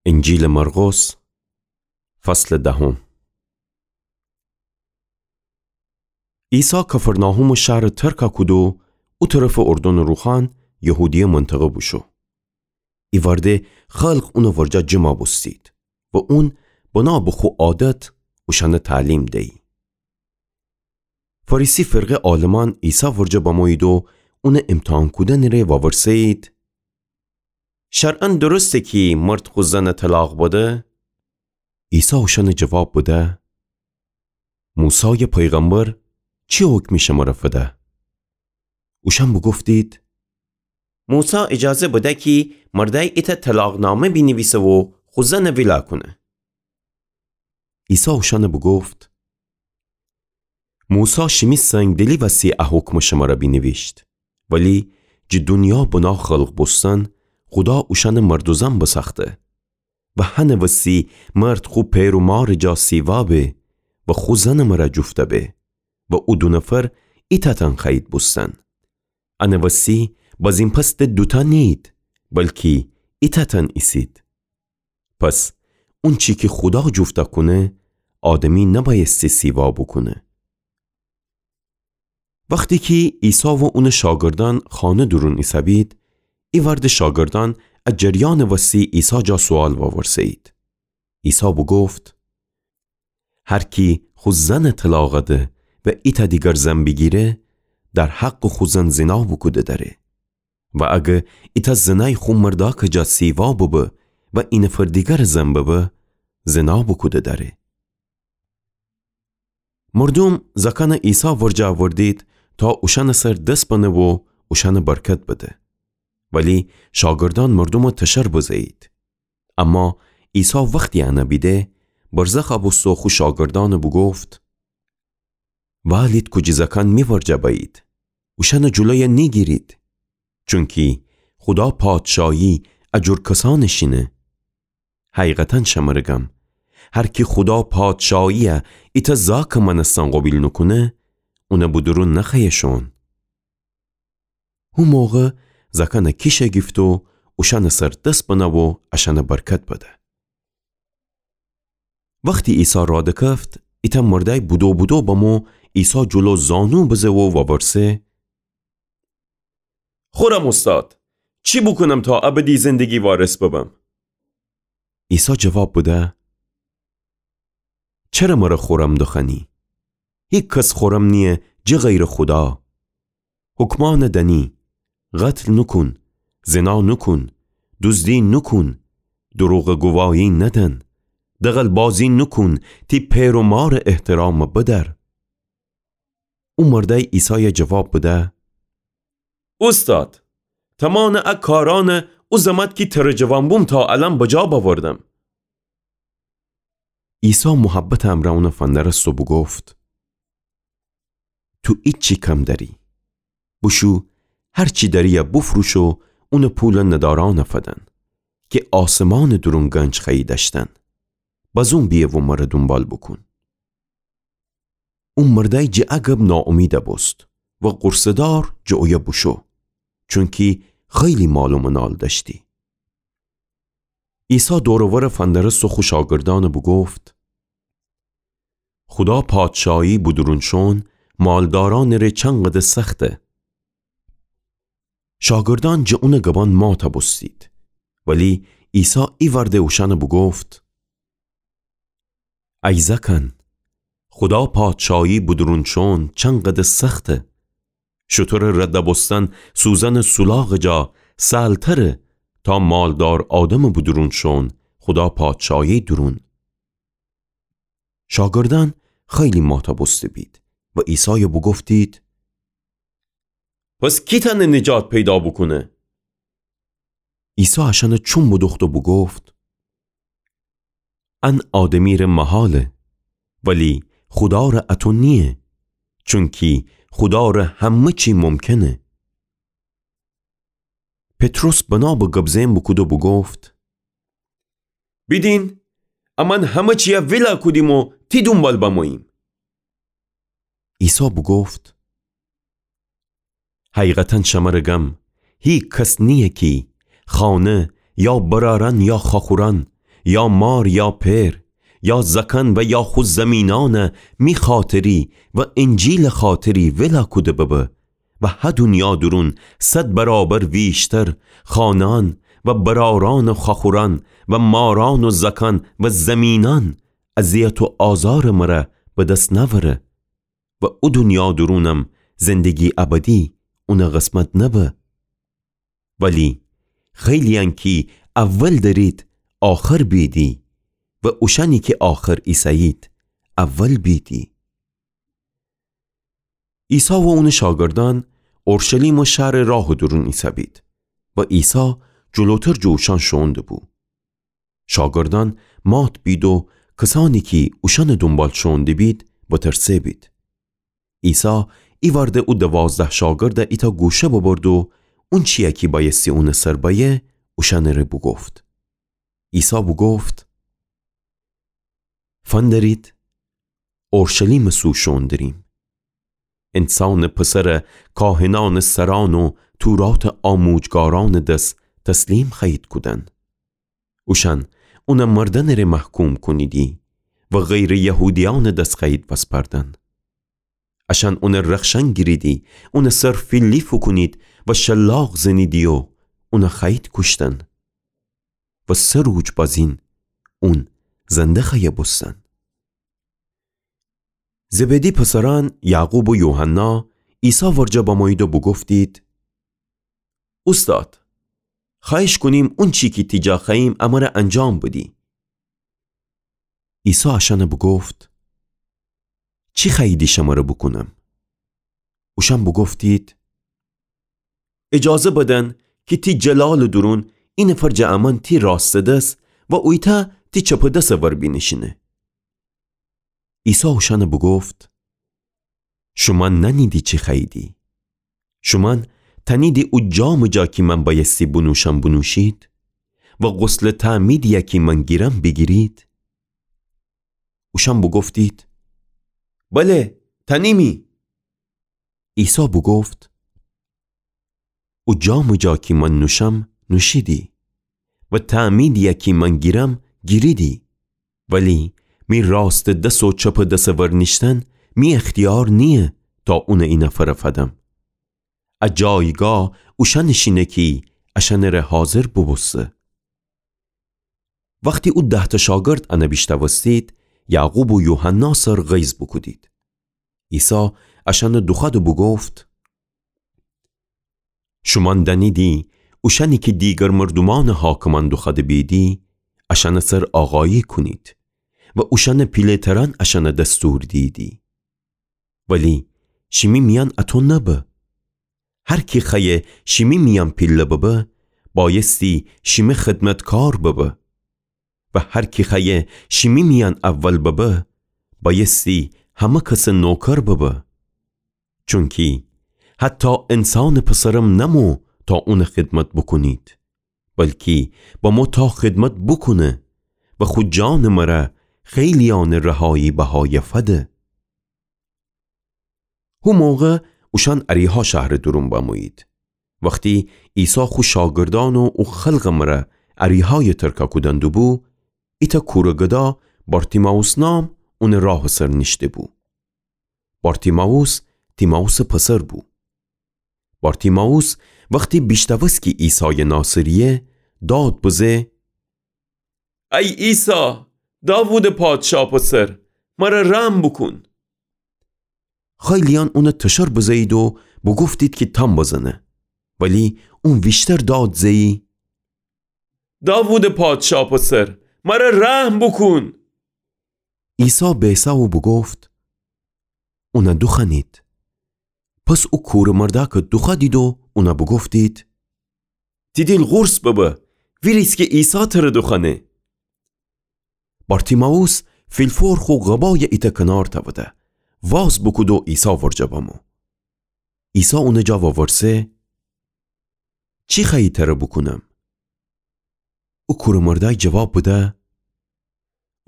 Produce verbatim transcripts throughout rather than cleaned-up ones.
انجیلٚ مرقس، فصلٚ دهم. عیسی کفرناحومٚ شهرَ ترکَ کود و او طرفٚ اردنٚ روخان یهودیه منطقه بوشو. ایوأرده خلق اونٚ ورجه جمع بوستید و اون بنا به خو عادت اوشأنَ تعلیم دیی. فریسی فرقه عالمأن عیسی ورجه بمویید و اونٚ امتحان کودنٚ ره وورسه‌یید: شرعاً درسته کی مرد خو زنَ طلاق بده؟ عیسی اوشأنَ جواب بده: موسایٚ پیغمبر چی حکمی شمره فده؟ اوشأن بوگفتید: موسی اجازه بده کی مردأی ایتأ طلاق‌نامه بینیویسه و خو زنَ ویلا کونه. عیسی اوشأنَ بوگفت: موسی شیمی سنگدلی وسی ا حکمَ شمره بینیویشت، ولی جٚه دونیا بنا خلق بوستن خودا اوشأنَ مرد و زن بسأخته و هنٚ وسی مرد خو پئر و مارٚ جا سیوا به و خو زنٚ مره جوفته به و او دو نفر ایتأتأن خوأیید بوستن. انٚ وسی بزین پس د دوتأ نیید، بلکی ایتأتأن ایسید. پس اونچی کی خودا جوفته کونه، آدمی نبأیستی سیوا بوکونه. وختی کی عیسی و اونٚ شاگردأن خانه دورون ایسه‌بید، ایوأرده شاگردأن ا جریانٚ وسی عیسی جا سوال وورسه‌یید. عیسی بوگفت: هر کی خو زنَ طلاق ده و ایتأ دیگر زن بیگیره، در حقٚ خو زن زنا بوکوده دأره. و اگه ایتأ زنأی خو مردأکٚ جا سیوا ببه و ای نفر دیگرٚ زن ببه، زنا بوکوده دأره. مردوم زأکأنَ عیسی ورجه اوردید تا اوشأنٚ سر دس بنه و اوشأنَ برکت بده. ولی شاگردأن مردومَ تشر بزه‌یید. اما عیسی وختی انَ بیده، برزخ بوسته و خو شاگردأنَ بوگفت: وألید کوجی زأکأن می ورجه بأیید، اوشأنٚ جلویَ نیگیرید، چونکی خودا پادشاهی ا جور کسأنٚ شینه. حقیقتاً شمره گم، هر کی خودا پادشاهیَ ایتأ زأکٚ مأنستن قوبیل نوکونه، اونَ به دورون نخوأیه شوئون. هو موقع زأکأنَ کیشَ گیفته و اوشأنٚ سر دس بنه و اشأنَ برکت بده. وختی عیسی رادکفت، ایتأ مردأی بدو بدو بمو عیسی جلو زانو بزه و وورسه: خورم اوستاد، چی بوکونم تا ابدی زندگی وارث ببم؟ عیسی جواب بده: چره مره خورم دوخوأنی؟ هیکس خورم نییه جٚه غیرٚ خودا. حکمأنَ دأنی: قتل نوکون، زنا نوکون، دوزدی نوکون، دروغٚ گواهی ندن، دغل‌بازی نوکون، تی پئر و مارٚ احترامَ بدأر. او مردأی عیسایَ جواب بده: اوستاد، تمامٚ ا کارأنَ او زمأت کی ترَ جوان بوم تا الأن بجا بأوردم. عیسی محبتٚ امرأ اونَ فندرست و بوگفت: تو ایچی کم دأری. بوشو هر چی دأری‌یَ بوفروش و اونٚ پولَ ندارأنَ فدن، کی آسمانٚ دورون گنج خوأیی دأشتن. بازون بیه و مرَ دونبال بوکون. او مردأی جٚه ا گب ناامیدَ بوست و غورصه‌دار جٚه اویه بوشو، چونکی خیلی مال و منال دأشتی. عیسی دور و ورَ فندرست و خو شاگردأنَ بوگفت: خودا پادشاهی به دورون شوئون مالدارأنٚ ره چنقدر سخته. شاگردأن جٚه اونٚ گبأن ماتَ بوستید. ولی عیسی ایوأرده اوشأنَ بوگفت: ای زأکأن، خودا پادشاهی به دورون شوئون چنقدر سخته. شوتورٚ ردَ بوستن سوزنٚ سولاغٚ جا سهل‌تره تا مالدار آدمٚ به دورون شوئون خودا پادشاهی دورون. شاگردأن خیلی ماتَ بوسته‌بید و عیسایَ بوگفتید: پس کی تأنه نجات پیدا بوکونه؟ عیسی اشأنَ چوم بدوخت و بوگفت: ان آدمی ره محاله، ولی خودا ره اطو نییه، چونکی خودا ره همه چی ممکنه. پطرس بنا به گب زئن بوکود و بوگفت: بیدین، امأن همه چیَ ویلا کودیم و تی دونبال بموییم. عیسی بوگفت: حقیقتاً شمره گم، هیکس نییه کی خانه یا برأرأن یا خواخورأن یا مار یا پئر، یا زأکأن و یا خو زمینأنَ می خاطری و انجیلٚ خاطری ویلا کوده ببه و هه دونیا دورون صد برابر ویشتر خانه‌أن و برأرأن و خوأخورأن و مارأن و زأکأن و زمینأن اذیت و آزارٚ مرا به دس نأوره و او دونیا دورونم زندگی ابدی اونٚ قسمت نبه. ولی خیلی‌یأن کی اول دریدی، آخر بیدی و اوشأنی کی آخر ایسه‌یید، اول بیدی. عیسی و اونٚ شاگردأن اورشلیمٚ شهرٚ راهٚ دورون ایسه‌بید و عیسی جلوتر جٚه اوشأن شوئون دبو. شاگردأن مات بید و کسأنی کی اوشأنٚ دونبال شوئون دبید، وترسه بید. عیسی ایوأرده او دوازده شاگرده ایتأ گوشه ببرد و اونچیی کی بأیستی اونٚ سر بأیه، اوشأنٚره بوگفت. عیسی بوگفت: فندرید، اورشلیمٚ سو شوئون دریم. انسانٚ پسر کاهنأنٚ سرأن و توراتٚ آموجگارأنٚ دس تسلیم خوأیید کودن. اوشأن اون مردنٚره محکوم کونیدی و غیرٚ یهودیأنٚ دس خوأیید وسپردن. اشأن اون رخشأن گیریدی، اونٚ سر فیلی فوکونید و شلاق زنیدی و اون خوأیید کوشتن. و سه روج بازین اون زنده خوأیه بوستن. زبدی پسرأن یعقوب و یوحنا عیسی ورجه بمویید و بوگفتید: اوستاد، خوأیش کونیم اونچی کی تی جا خوأییم امر انجام بدی. عیسی اشأن بوگفت: چی خوأییدی شمر بوکونم؟ اوشأن بوگفتید: اجازه بدن کی تی جلالٚ دورون اینفر جٚه امأن تی راستٚ دس و اویتأ تی چپٚ دسٚ ور بینیشینه. عیسی اوشأن بوگفت: شومأن نأنیدی چی خوأییدی. شومأن تأنیدی او جامٚ جا کی من بأیستی بونوشم بونوشید و غسلٚ تعمیدیی کی من گیرم بیگیرید؟ اوشأن بوگفتید: بله، تأنیمی. عیسی بوگفت: او جامٚ جا کی من نوشم نوشیدی و تعمیدیی کی من گیرم گیریدی. ولی می راستٚ دس و چپٚ دسٚ ور نیشتن می اختیار نییه تا اون اینفر فدم. ا جایگاه اوشأنٚ شینه کی اشأنٚره حاضر بوبوسته. وختی او دهتأ شاگرد ان بیشنوستید، یعقوب و یوحنا سر غیظ بوکودید. عیسی اشأن دوخوأد و بوگفت: شومأن دأنیدی اوشأنی کی دیگر مردومأنٚ حاکمأن دوخوأده بیدی، اشأنٚ سر آقایی کونید و اوشأنٚ پیله‌ترأن اشأن دستور دیدی. ولی شیمی میأن اطو نبه. هر کی خوأیه شیمی میأن پیله ببه، بأیستی شیمی خدمتکار ببه. و هر کی خوأیه شیمی میأن اول ببه، بأیستی همه کسٚ نوکر ببه. چونکی حتی انسانٚ پسرم نمو تا اونٚ خدمت بوکونید، بلکی بمو تا خدمت بوکونه و خو جانٚ مره خیلیأنٚ رهایی بهایه فده. هو موقع اوشأن اریحا شهرٚ دورون بمویید. وختی عیسی خو شاگردأن و او خلقٚ مره اریحایٚ ترکه کودن دوبو، ایتأ کورٚ گدا بارتیمائوس نام اونٚ راهٚ سر نیشته‌بو. بارتیمائوس تیمائوسٚ پسر بو. بارتیمائوس وختی بیشنوست کی عیسایٚ ناصرییه، داد بزه: ای عیسی، داوودٚ پادشا پسر، مره رحم بوکون. خیلیأن اون تشر بزه‌یید و بوگفتید کی تام بزنه، ولی اون ویشتر داد زه‌یی: داوودٚ پادشا پسر، مره رحم بوکون. عیسی بیسه و بوگفت: اون دوخوأنید. پس او کورٚ مردأکٚ دوخوأدید و اون بوگفتید: تی دیل قورص ببه، ویریز کی عیسی تر دوخوأنه. بارتیمائوس فیلفور خو قبای ایتأ کنار تأوده، واز بوکود و عیسی ورجه بمو. عیسی اونٚ جا وورسه: چی خوأیی تر بوکونم؟ او کورٚ مردأی جواب بده: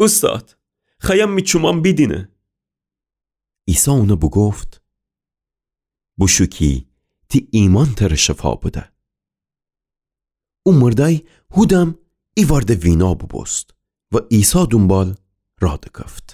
اوستاد، خوأیم می چومأن بیدینه. عیسی اون بوگفت: بوشو کی تی ایمأن تر شفا بده. او مردأی هودم ایوأرده وینا بوبوست و عیسی دونبال راه دکفت.